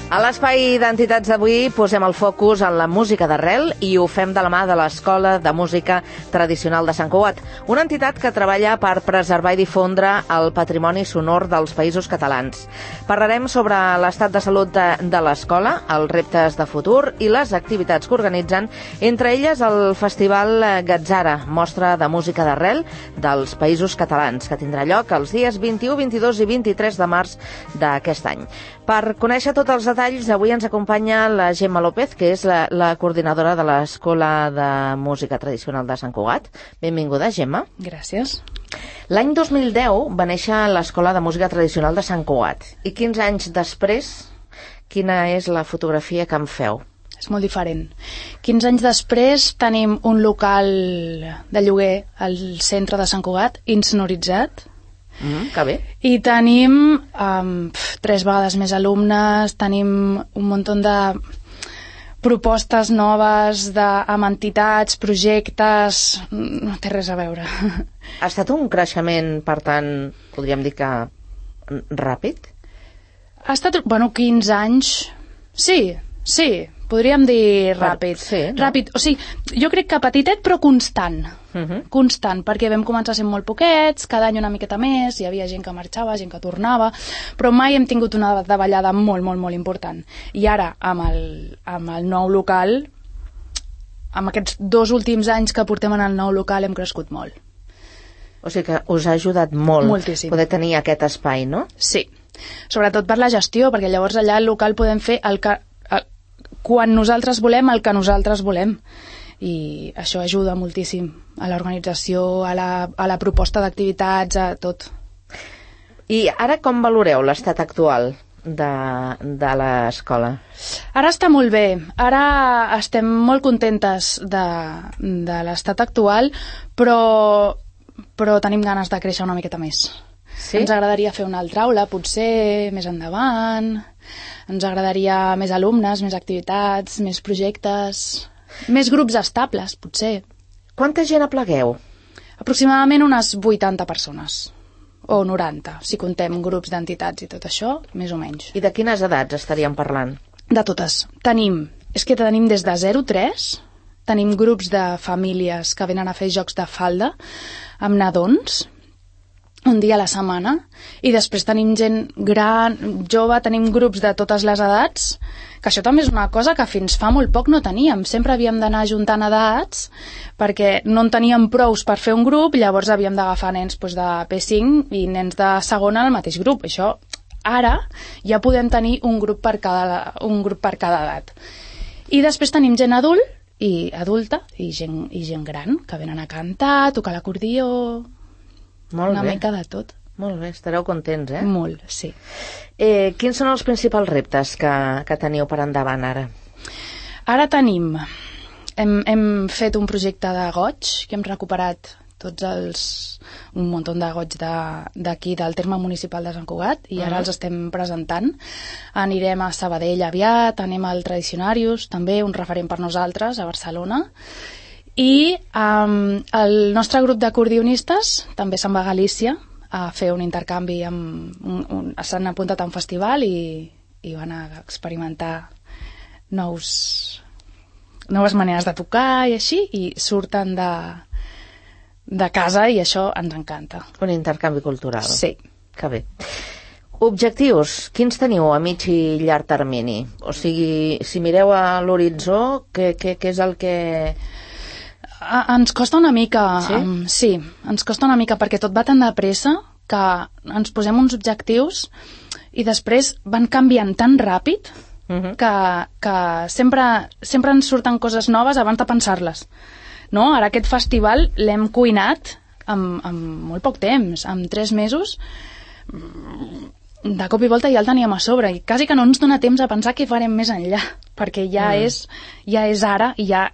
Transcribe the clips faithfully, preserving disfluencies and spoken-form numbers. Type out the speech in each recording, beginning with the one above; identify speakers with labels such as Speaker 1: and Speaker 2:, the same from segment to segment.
Speaker 1: A l'espai d'entitats d'avui posem el focus en la música d'arrel i ho fem de la mà de l'Escola de Música Tradicional de Sant Cugat, una entitat que treballa per preservar i difondre el patrimoni sonor dels Països Catalans. Parlarem sobre l'estat de salut de, de l'escola, els reptes de futur i les activitats que organitzen, entre elles el Festival Gatzara, mostra de música d'arrel dels Països Catalans, que tindrà lloc els dies vint-i-u, vint-i-dos i vint-i-tres de març d'aquest any. Per conèixer tots els detalls, avui ens acompanya la Gemma López, que és la, la coordinadora de l'Escola de Música Tradicional de Sant Cugat. Benvinguda, Gemma.
Speaker 2: Gràcies.
Speaker 1: L'any dos mil deu va néixer l'Escola de Música Tradicional de Sant Cugat. I quinze anys després, quina és la fotografia que em feu?
Speaker 2: És molt diferent. quinze anys després tenim un local de lloguer al centre de Sant Cugat, insonoritzat.
Speaker 1: Mm, que bé.
Speaker 2: I tenim um, pf, tres vegades més alumnes, tenim un munt de propostes noves de, amb entitats, projectes, no té res a veure.
Speaker 1: Ha estat un creixement, per tant, podríem dir que ràpid?
Speaker 2: Ha estat, bueno, quinze anys, sí, sí, podríem dir ràpid.
Speaker 1: Sí, no?
Speaker 2: Ràpid, o sigui, jo crec que petitet però constant. Uh -huh. Constant, perquè vam començar sent molt poquets, cada any una miqueta més, hi havia gent que marxava, gent que tornava, però mai hem tingut una davallada molt, molt, molt important. I ara, amb el, amb el nou local, amb aquests dos últims anys que portem en el nou local, hem crescut molt.
Speaker 1: O sigui que us ha ajudat molt
Speaker 2: Moltíssim.
Speaker 1: Poder tenir aquest espai, no?
Speaker 2: Sí, sobretot per la gestió, perquè llavors allà al local podem fer el que, el, quan nosaltres volem, el que nosaltres volem. I això ajuda moltíssim a l'organització, a la, a la proposta d'activitats, a tot.
Speaker 1: I ara com valoreu l'estat actual de, de l'escola?
Speaker 2: Ara està molt bé, ara estem molt contentes de, de l'estat actual, però, però tenim ganes de créixer una miqueta més. Sí? Ens agradaria fer una altra aula, potser més endavant, ens agradaria més alumnes, més activitats, més projectes, més grups estables, potser.
Speaker 1: Quanta gent aplegueu?
Speaker 2: Aproximadament unes vuitanta persones, o noranta, si contem grups d'entitats i tot això, més o menys.
Speaker 1: I de quines edats estaríem parlant?
Speaker 2: De totes. Tenim, és que tenim des de zero a tres, tenim grups de famílies que venen a fer jocs de falda amb nadons, un dia a la setmana, i després tenim gent gran, jove, tenim grups de totes les edats, que això també és una cosa que fins fa molt poc no teníem. Sempre havíem d'anar juntant edats perquè no en teníem prous per fer un grup, llavors havíem d'agafar nens doncs, de P cinc i nens de segona al mateix grup. Això, ara, ja podem tenir un grup per cada, un grup per cada edat. I després tenim gent adult i adulta i gent, i gent gran que venen a cantar, a tocar l'acordió, una
Speaker 1: bé.
Speaker 2: mica de tot.
Speaker 1: Molt bé, estareu contents, eh?
Speaker 2: Molt, sí.
Speaker 1: Eh, quins són els principals reptes que, que teniu per endavant ara?
Speaker 2: Ara tenim... Hem, hem fet un projecte de goig, que hem recuperat tots els... un munt de goig d'aquí, de, del terme municipal de Sant Cugat, i ara uh -huh. els estem presentant. Anirem a Sabadell aviat, anem al Tradicionarius, també un referent per nosaltres, a Barcelona. I um, el nostre grup d'acordionistes també se'n va a Galícia a fer un intercanvi amb un, un, s'han apuntat a un festival i, i van a experimentar nous, noves maneres de tocar i així, i surten de, de casa i això ens encanta.
Speaker 1: Un intercanvi cultural.
Speaker 2: Sí.
Speaker 1: Que bé. Objectius, quins teniu a mig i llarg termini? O sigui, si mireu a l'horitzó, què, què, què és el que...
Speaker 2: Ens costa una mica,
Speaker 1: sí?
Speaker 2: Um, sí, ens costa una mica perquè tot va tan de pressa que ens posem uns objectius i després van canviant tan ràpid uh -huh. que, que sempre, sempre ens surten coses noves abans de pensar-les. No? Ara aquest festival l'hem cuinat amb, amb molt poc temps, amb tres mesos, de cop i volta ja el teníem a sobre i quasi que no ens dona temps a pensar què farem més enllà, perquè ja, mm. és, ja és ara i ja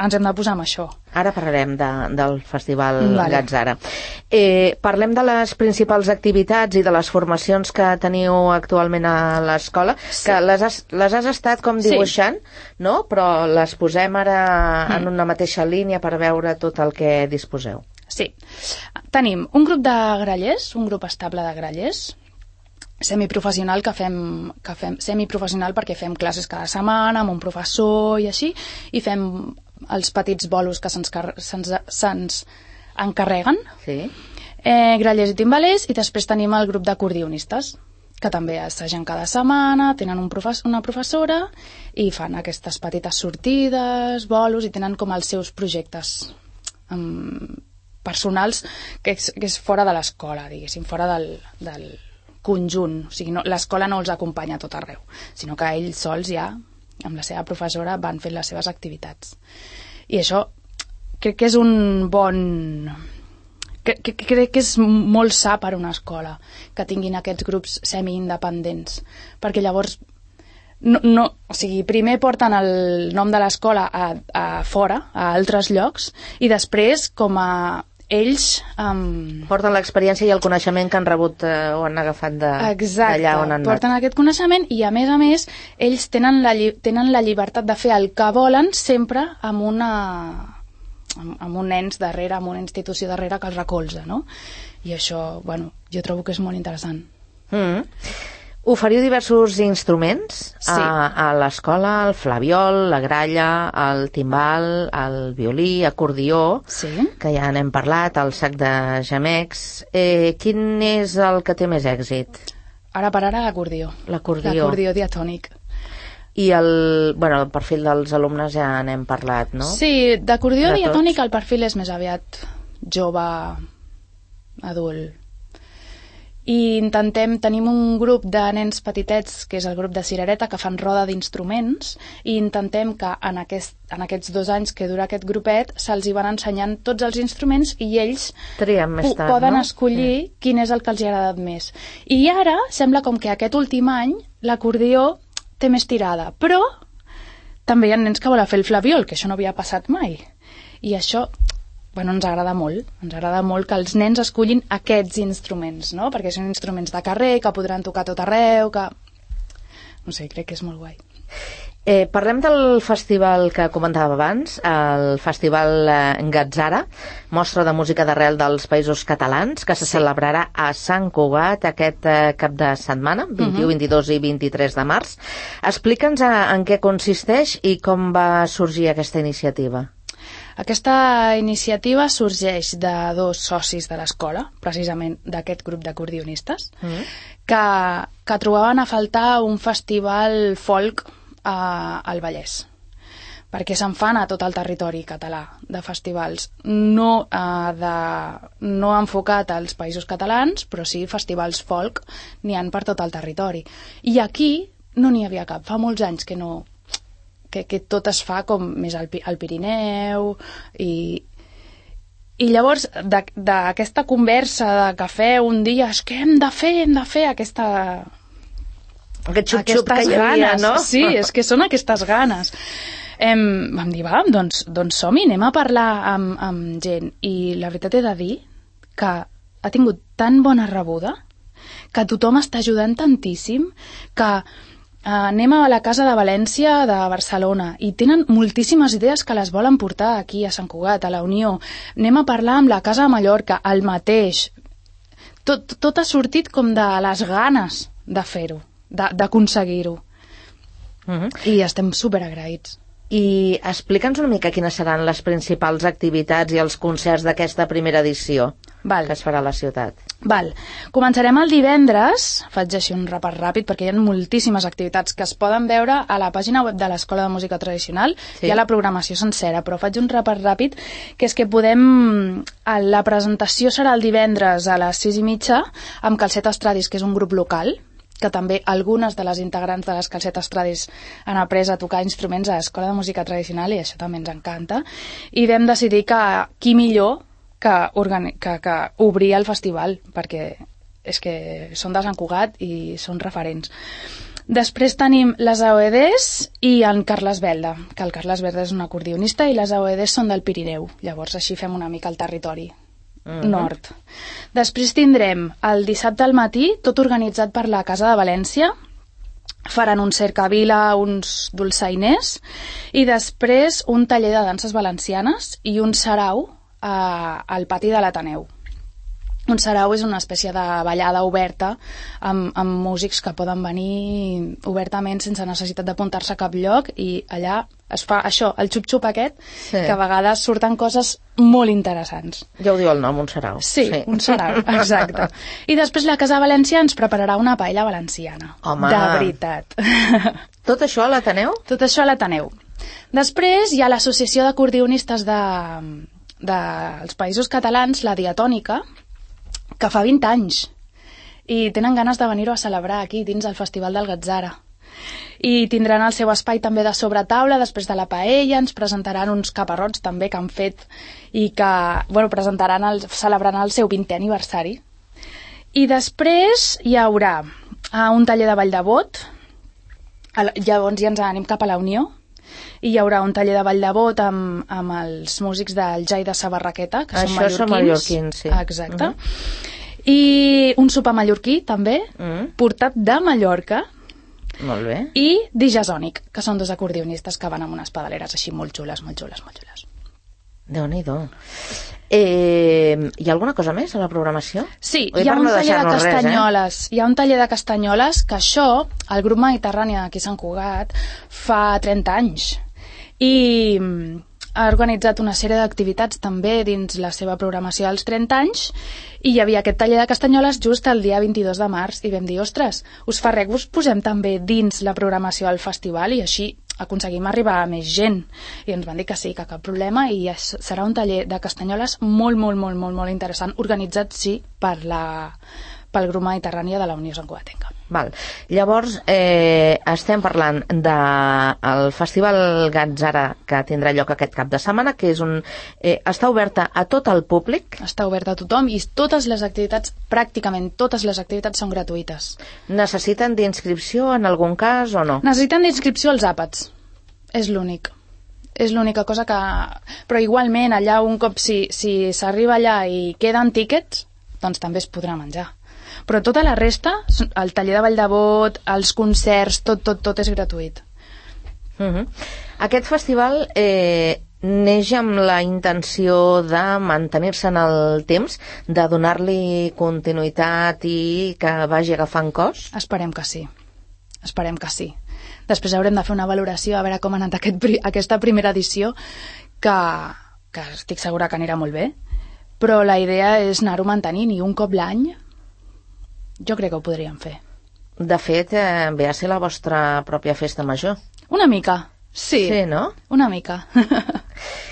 Speaker 2: ens hem de posar amb això.
Speaker 1: Ara parlarem de, del Festival
Speaker 2: vale.
Speaker 1: Gatzara. Eh, parlem de les principals activitats i de les formacions que teniu actualment a l'escola, sí. que les has, les has estat com dibuixant, sí. no? Però les posem ara mm. en una mateixa línia per veure tot el que disposeu.
Speaker 2: Sí. Tenim un grup de grallers, un grup estable de grallers, semiprofessional que fem, que fem semiprofessional perquè fem classes cada setmana amb un professor i així, i fem els petits bolos que se'ns, se'ns, se'ns encarreguen,
Speaker 1: sí.
Speaker 2: eh, grallers i timbalers, i després tenim el grup d'acordionistes, que també assagen cada setmana, tenen un professor, una professora, i fan aquestes petites sortides, bolos, i tenen com els seus projectes um, personals que és, que és fora de l'escola, diguéssim, fora del, del conjunt. O sigui, no, l'escola no els acompanya a tot arreu, sinó que ells sols ja, amb la seva professora, van fent les seves activitats. I això crec que és un bon... Crec que, crec que és molt sa per a una escola que tinguin aquests grups semi-independents, perquè llavors no, no, o sigui, primer porten el nom de l'escola a, a fora, a altres llocs, i després com a ells... Um...
Speaker 1: porten l'experiència i el coneixement que han rebut eh, o han agafat d'allà on han anat.
Speaker 2: Porten aquest coneixement i, a més a més, ells tenen la, tenen la llibertat de fer el que volen sempre amb una... amb, amb un ens darrere, amb una institució darrere que els recolza, no? I això, bueno, jo trobo que és molt interessant.
Speaker 1: Mm. Oferiu diversos instruments
Speaker 2: sí.
Speaker 1: a, a l'escola, el flabiol, la gralla, el timbal, el violí, acordió,
Speaker 2: sí.
Speaker 1: que ja n'hem parlat, el sac de gemecs. Eh, quin és el que té més èxit?
Speaker 2: Ara per ara l'acordió.
Speaker 1: L'acordió.
Speaker 2: L'acordió diatònic.
Speaker 1: I el, bueno, el perfil dels alumnes ja n'hem parlat, no?
Speaker 2: Sí, d'acordió de diatònic el perfil és més aviat jove, adult. I intentem, tenim un grup de nens petitets, que és el grup de cirereta, que fan roda d'instruments, i intentem que en, aquest, en aquests dos anys que dura aquest grupet se'ls hi van ensenyant tots els instruments i ells
Speaker 1: més tard,
Speaker 2: poden
Speaker 1: no?
Speaker 2: escollir sí. quin és el que els hi ha agradat més. I ara sembla com que aquest últim any l'acordió té més tirada, però també hi ha nens que volen fer el flabiol, que això no havia passat mai. I això... Bueno, ens agrada molt, ens agrada molt que els nens escollin aquests instruments, no? Perquè són instruments de carrer, que podran tocar tot arreu, que... No sé, crec que és molt guai.
Speaker 1: Eh, parlem del festival que comentava abans, el Festival eh, Gatzara, mostra de música d'arrel dels Països Catalans, que se sí. celebrarà a Sant Cugat aquest eh, cap de setmana, vint-i-u, uh-huh. vint-i-dos i vint-i-tres de març. Explica'ns en què consisteix i com va sorgir aquesta iniciativa.
Speaker 2: Aquesta iniciativa sorgeix de dos socis de l'escola, precisament d'aquest grup d'acordionistes, mm. que, que trobaven a faltar un festival folk a, al Vallès, perquè se'n fan a tot el territori català de festivals, no, eh, de, no enfocat als Països Catalans, però sí festivals folk n'hi han per tot el territori. I aquí no n'hi havia cap, fa molts anys que no... Que, que tot es fa com més al, al Pirineu i, i llavors d'aquesta conversa de cafè un dia és que hem de fer, hem de fer aquesta
Speaker 1: aquest xup-xup que hi havia, no?
Speaker 2: Sí, és que són aquestes ganes. Em, vam dir, va, doncs, doncs som-hi, anem a parlar amb, amb gent, i la veritat he de dir que ha tingut tan bona rebuda, que tothom està ajudant tantíssim, que Uh, anem a la Casa de València de Barcelona i tenen moltíssimes idees que les volen portar aquí a Sant Cugat, a la Unió. Anem a parlar amb la Casa de Mallorca, el mateix. Tot, tot ha sortit com de les ganes de fer-ho, d'aconseguir-ho. Uh-huh. I estem superagraïts.
Speaker 1: I explica'ns una mica quines seran les principals activitats i els concerts d'aquesta primera edició
Speaker 2: Val.
Speaker 1: que es farà a la ciutat.
Speaker 2: Val. Començarem el divendres, faig així un repàs ràpid perquè hi ha moltíssimes activitats que es poden veure a la pàgina web de l'Escola de Música Tradicional, sí. Hi ha la programació sencera, però faig un repàs ràpid, que és que podem... La presentació serà el divendres a les sis i mitja amb Calcetes Tradis, que és un grup local, que també algunes de les integrants de les Calcetes Tradis han après a tocar instruments a l'Escola de Música Tradicional, i això també ens encanta, i vam decidir que qui millor que, organi- que, que obrir el festival, perquè és que són de Sant Cugat i són referents. Després tenim les A O E Ds i en Carles Belda, que el Carles Belda és un acordionista i les A O E Ds són del Pirineu, llavors així fem una mica el territori nord. Després tindrem el dissabte al matí, tot organitzat per la Casa de València, faran un cercavila, uns dolçainers, i després un taller de danses valencianes i un sarau a, al pati de l'Ateneu. Un sarau és una espècie de ballada oberta amb, amb músics que poden venir obertament sense necessitat d'apuntar-se a cap lloc, i allà es fa això, el xup-xup aquest, sí. que a vegades surten coses molt interessants.
Speaker 1: Ja ho diu el nom, un sarau.
Speaker 2: Sí, sí. un sarau, exacte. I després la Casa València ens prepararà una paella valenciana.
Speaker 1: Home.
Speaker 2: De veritat.
Speaker 1: Tot això a l'Ateneu?
Speaker 2: Tot això a l'Ateneu. Després hi ha l'Associació d'Acordionistes de, dels Països Catalans, la Diatònica, que fa vint anys, i tenen ganes de venir-ho a celebrar aquí dins el Festival del Gatzara. I tindran el seu espai també de sobretaula després de la paella, ens presentaran uns caparrots també que han fet i que, bueno, presentaran el, celebraran el seu vintè aniversari. I després hi haurà uh, un taller de ball de bot, llavors ja ens anem cap a la Unió, i hi haurà un taller de ball de bot amb, amb els músics del Jai de Sabarraqueta, que
Speaker 1: Això
Speaker 2: són mallorquins.
Speaker 1: Això són mallorquins, sí.
Speaker 2: Exacte. Uh-huh. I un sopar mallorquí, també, uh-huh. portat de Mallorca.
Speaker 1: Molt bé.
Speaker 2: I Dijasònic, que són dos acordionistes que van amb unes pedaleres així molt xules, molt xules, molt xules.
Speaker 1: Déu-n'hi-do. Eh, hi ha alguna cosa més a la programació?
Speaker 2: Sí, hi ha un taller de castanyoles. Res, eh? Hi ha un taller de castanyoles que això, el grup mediterrani aquí a Sant Cugat, fa trenta anys. I ha organitzat una sèrie d'activitats també dins la seva programació dels trenta anys, i hi havia aquest taller de castanyoles just el dia vint-i-dos de març, i vam dir, ostres, us fa res que us posem també dins la programació del festival, i així aconseguim arribar a més gent. I ens van dir que sí, que cap problema, i serà un taller de castanyoles molt, molt, molt, molt, molt interessant, organitzat, sí, per la, pel grup mediterrani de la Unió Santcugatenca.
Speaker 1: Val. Llavors, eh, estem parlant del Festival Gatzara, que tindrà lloc aquest cap de setmana, que és un, eh, està oberta a tot el públic.
Speaker 2: Està oberta a tothom, i totes les activitats, pràcticament totes les activitats són gratuïtes.
Speaker 1: Necessiten d'inscripció en algun cas o no?
Speaker 2: Necessiten d'inscripció als àpats. És l'únic. És l'única cosa que... Però igualment, allà un cop, si, si s'arriba allà i queden tíquets, doncs també es podrà menjar. Però tota la resta, el taller de ball de bot, els concerts, tot, tot, tot és gratuït.
Speaker 1: Uh-huh. Aquest festival eh, neix amb la intenció de mantenir-se en el temps, de donar-li continuïtat i que vagi agafant cos?
Speaker 2: Esperem que sí. Esperem que sí. Després haurem de fer una valoració a veure com ha anat aquest, aquesta primera edició, que, que estic segura que anirà molt bé, però la idea és anar-ho mantenint, i un cop l'any jo crec que ho podríem fer.
Speaker 1: De fet, eh, ve a ser la vostra pròpia festa major.
Speaker 2: Una mica, sí.
Speaker 1: Sí, no?
Speaker 2: Una mica.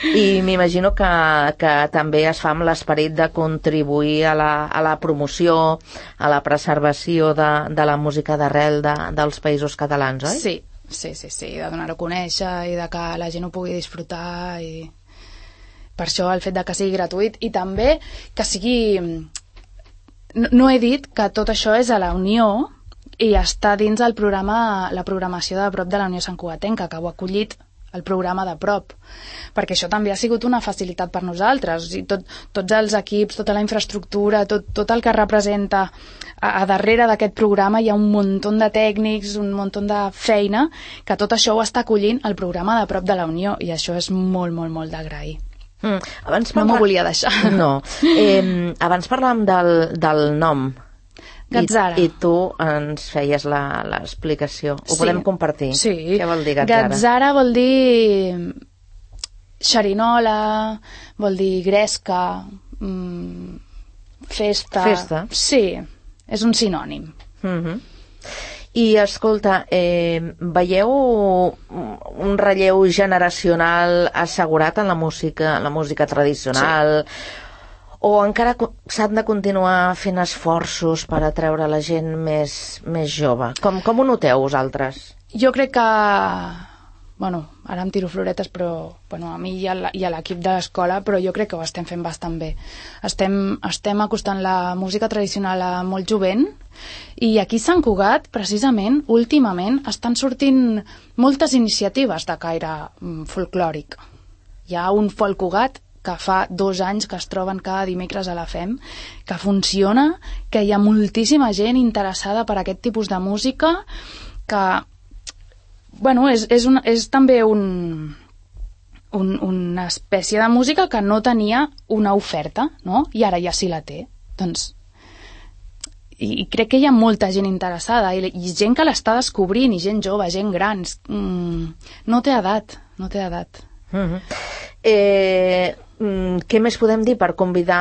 Speaker 1: I m'imagino que, que també es fa amb l'esperit de contribuir a la, a la promoció, a la preservació de, de la música d'arrel de, dels països catalans, oi?
Speaker 2: Sí, sí, sí, sí, de donar-ho a conèixer i de que la gent ho pugui disfrutar, i per això el fet de que sigui gratuït, i també que sigui... No, no he dit que tot això és a la Unió i està dins el programa, la programació de prop de la Unió Santcugatenca, que ho ha acollit el programa de prop, perquè això també ha sigut una facilitat per nosaltres. I tot, tots els equips, tota la infraestructura, tot, tot el que representa a, a darrere d'aquest programa hi ha un munt de tècnics, un munt de feina, que tot això ho està acollint el programa de prop de la Unió, i això és molt, molt, molt d'agrair.
Speaker 1: Mm, abans
Speaker 2: parla... No m'ho volia deixar.
Speaker 1: No. Eh, abans parlàvem del, del nom.
Speaker 2: Gatzara.
Speaker 1: I, I tu ens feies l'explicació. Ho
Speaker 2: sí.
Speaker 1: podem compartir?
Speaker 2: Sí.
Speaker 1: Què vol dir Gatzara?
Speaker 2: Gatzara vol dir xerinola, vol dir gresca, mmm, festa...
Speaker 1: Festa?
Speaker 2: Sí, és un sinònim.
Speaker 1: Mhm. I, escolta, eh, veieu un relleu generacional assegurat en la música, la música tradicional? Sí. O encara s'han de continuar fent esforços per atreure la gent més, més jove? Com, com ho noteu vosaltres?
Speaker 2: Jo crec que... Bueno, ara em tiro floretes, però bueno, a mi i a l'equip de l'escola, però jo crec que ho estem fent bastant bé. Estem, estem acostant la música tradicional a molt jovent, i aquí a Sant Cugat, precisament, últimament, estan sortint moltes iniciatives de caire folclòric. Hi ha un Folk Cugat que fa dos anys que es troben cada dimecres a la F E M, que funciona, que hi ha moltíssima gent interessada per aquest tipus de música, que bueno, és, és, un, és també un, un, una espècie de música que no tenia una oferta, no? I ara ja sí la té. doncs i crec que hi ha molta gent interessada i, i gent que l'està descobrint, i gent jove, gent gran. Mm, no té edat, no té edat.
Speaker 1: Mm-hmm. Eh, què més podem dir per convidar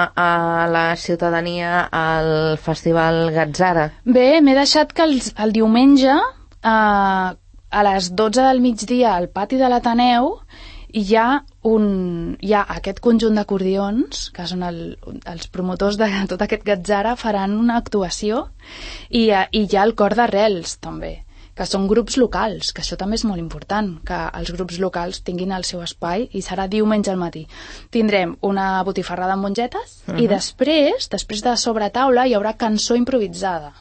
Speaker 1: a la ciutadania al Festival Gatzara?
Speaker 2: Bé, m'he deixat que el, el diumenge eh, a les dotze del migdia al pati de l'Ateneu hi ha, un, hi ha aquest conjunt d'acordions, que són el, els promotors de tot aquest Gatzara, faran una actuació, i, i hi ha el cor d'Arrels, també, que són grups locals, que això també és molt important, que els grups locals tinguin el seu espai, i serà diumenge al matí. Tindrem una botifarrada amb mongetes, uh-huh. i després, després de sobretaula, hi haurà cançó improvisada.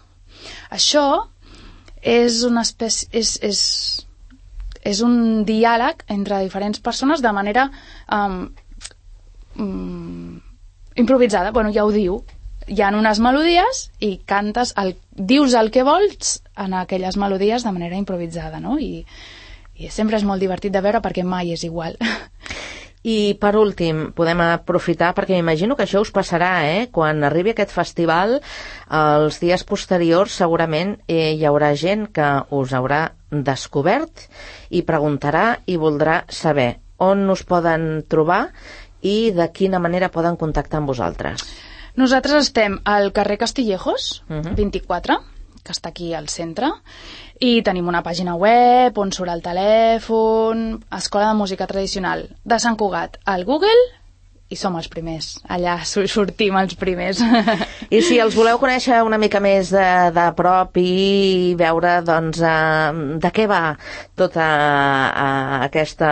Speaker 2: Això és una espècie... És, és, és un diàleg entre diferents persones de manera um, um, improvisada. Bueno, ja ho diu. Hi ha unes melodies i cantes, el, dius el que vols en aquelles melodies de manera improvisada, no? I, i sempre és molt divertit de veure perquè mai és igual.
Speaker 1: I per últim, podem aprofitar, perquè m'imagino que això us passarà, eh? Quan arribi aquest festival, els dies posteriors segurament eh, hi haurà gent que us haurà descobert i preguntarà i voldrà saber on us poden trobar i de quina manera poden contactar amb vosaltres.
Speaker 2: Nosaltres estem al carrer Castillejos,
Speaker 1: uh-huh.
Speaker 2: vint-i-quatre, que està aquí al centre, i tenim una pàgina web on surt el telèfon, Escola de Música Tradicional de Sant Cugat al Google, i som els primers, allà sortim els primers.
Speaker 1: I si els voleu conèixer una mica més de, de prop i veure doncs, uh, de què va tota uh, aquesta,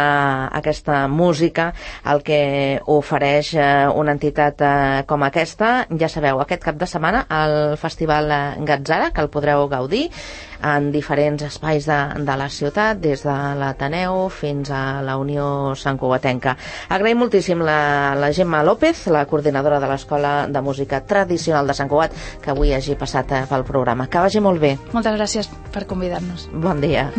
Speaker 1: aquesta música, el que ofereix uh, una entitat uh, com aquesta, ja sabeu, aquest cap de setmana al Festival Gatzara, que el podreu gaudir en diferents espais de, de la ciutat, des de l'Ateneu fins a la Unió Santcugatenca. Agraïm moltíssim la, la Gemma López, la coordinadora de l'Escola de Música Tradicional de Sant Cugat, que avui hagi passat pel programa. Que vagi molt bé.
Speaker 2: Moltes gràcies per convidar-nos.
Speaker 1: Bon dia.